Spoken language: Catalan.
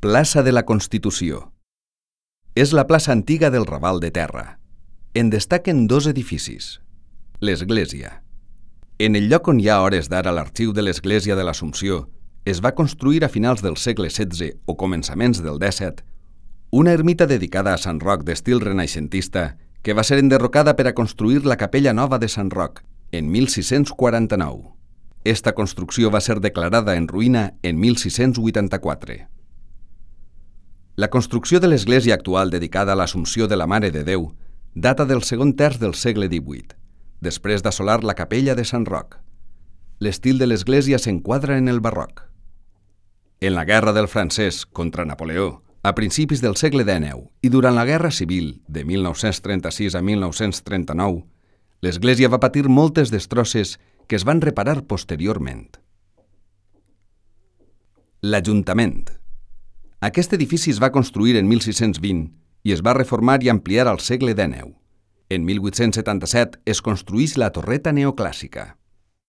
Plaça de la Constitució. És la plaça antiga del Raval de Terra. En destaquen dos edificis. L'església. En el lloc on hi ha a hores d'ara l'arxiu de l'església de l'Assumpció, es va construir a finals del segle XVI o començaments del XVII una ermita dedicada a Sant Roc d'estil renaixentista que va ser enderrocada per a construir la capella nova de Sant Roc en 1649. Esta construcció va ser declarada en ruïna en 1684. La construcció de l'església actual dedicada a l'Assumpció de la Mare de Déu data del segon terç del segle XVIII, després d'assolar la capella de Sant Roc. L'estil de l'església s'enquadra en el barroc. En la Guerra del Francès contra Napoleó, a principis del segle XIX i durant la Guerra Civil de 1936 a 1939, l'església va patir moltes destrosses que es van reparar posteriorment. L'Ajuntament. Aquest edifici es va construir en 1620 i es va reformar i ampliar al segle XIX. En 1877 es construïx la torreta neoclàssica.